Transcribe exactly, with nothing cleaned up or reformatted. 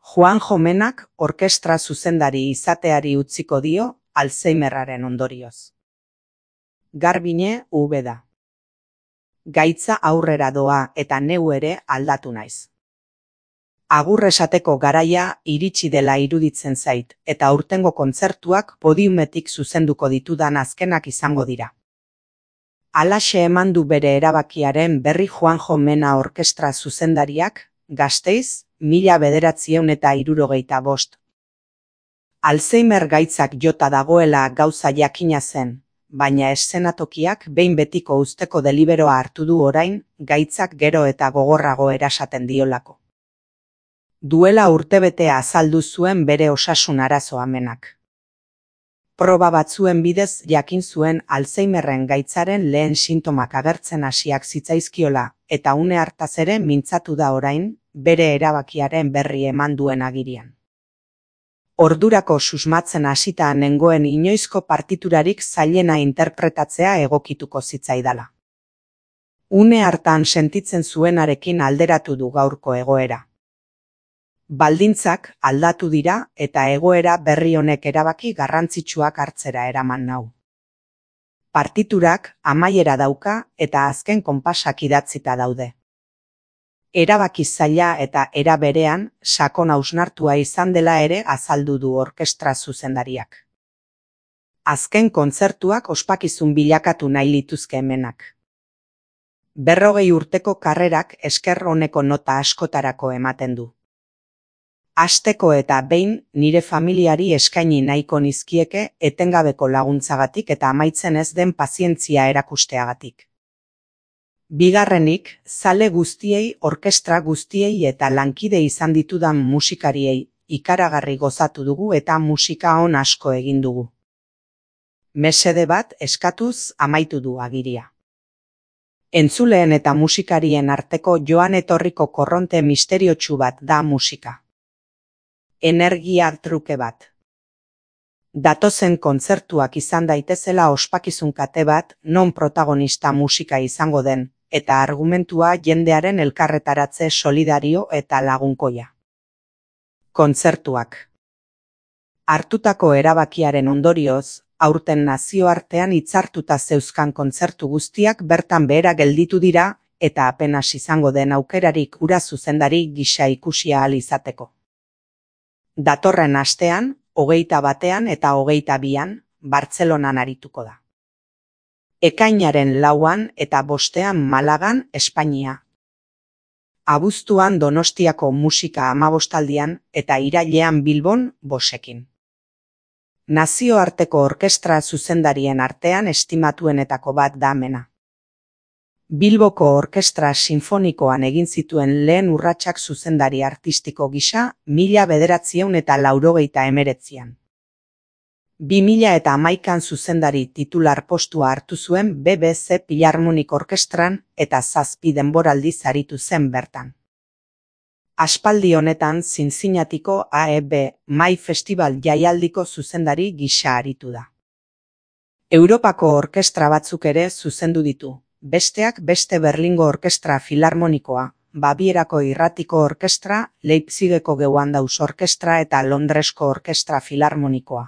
Juanjo Menak orkestra zuzendari izateari utziko dio Alzheimerraren ondorioz. Garbine ube da. Gaitza aurrera doa eta neu ere aldatu naiz. Agur esateko garaia iritsi dela iruditzen zait eta aurtengo kontzertuak podiumetik zuzenduko ditudan azkenak izango dira. Halaxe eman du bere erabakiaren berri Juanjo Mena orkestra zuzendariak, Gasteiz, mila bederatziehun eta hirurogeita bost. Alzheimer gaitzak jota dagoela gauza jakina zen, baina eszenatokiak behin betiko uzteko deliberoa hartu du orain, gaitzak gero eta gogorrago erasaten diolako. Duela urtebetea azaldu zuen bere osasun arazoa Menak. Proba batzuen bidez jakin zuen Alzheimerren gaitzaren lehen sintomak agertzen hasiak zitzaizkiola eta une hartaz ere mintzatu da orain, bere erabakiaren berri eman duen agirian. Ordurako susmatzen hasita nengoen inoizko partiturarik zailena interpretatzea egokituko zitzaidala. Une hartan sentitzen zuenarekin alderatu du gaurko egoera. Baldintzak aldatu dira eta egoera berri honek erabaki garrantzitsuak hartzera eraman nau. Partiturak amaiera dauka eta azken konpasak idatzita daude. Erabaki zaila eta era berean sakon hausnartua izan dela ere azaldu du orkestra zuzendariak. Azken kontzertuak ospakizun bilakatu nahi lituzke Menak. Berrogei urteko karrerak esker oneko nota askotarako ematen du. Hasteko eta behin nire familiari eskaini nahiko nizkieke etengabeko laguntzagatik eta amaitzen ez den pazientzia erakusteagatik. Bigarrenik, zale guztiei, orkestra guztiei eta lankide izan ditudan musikariei ikaragarri gozatu dugu eta musika on asko egin dugu. Mesede bat eskatuz amaitu du agiria. Entzuleen eta musikarien arteko joan etorriko korronte misteriotsu bat da musika. Energia truke bat. Datozen kontzertuak izan daitezela ospakizun kate bat non protagonista musika izango den, eta argumentua jendearen elkarretaratze solidario eta lagunkoia. Kontzertuak. Hartutako erabakiaren ondorioz, aurten nazioartean hitzartuta zeuzkan kontzertu guztiak bertan behera gelditu dira eta apenas izango den aukerarik hura zuzendari gisa ikusi ahal izateko. Datorren astean, hogeita batean eta hogeita bian, Bartzelonan arituko da. Ekainaren lauan eta bostean Malagan, Espainia. Abuztuan Donostiako musika hamabostaldian eta irailean Bilbon bosekin. Nazioarteko orkestra zuzendarien artean estimatuenetako bat da Mena. Bilboko Orkestra Sinfonikoan egin zituen lehen urratsak zuzendari artistiko gisa mila bederatziehun eta laurogeita hemeretzian. Bi mila eta hamaikan zuzendari titular postua hartu zuen B B C Philharmonic Orkestran eta zazpi denboraldiz aritu zen bertan. Aspaldi honetan Zinzinatiko A E B Mai Festival jaialdiko zuzendari gisa aritu da. Europako orkestra batzuk ere zuzendu ditu. Besteak beste Berlingo Orkestra Filarmonikoa, Babierako Irratiko Orkestra, Leipzigeko Gewandhaus Orkestra eta Londresko Orkestra Filarmonikoa.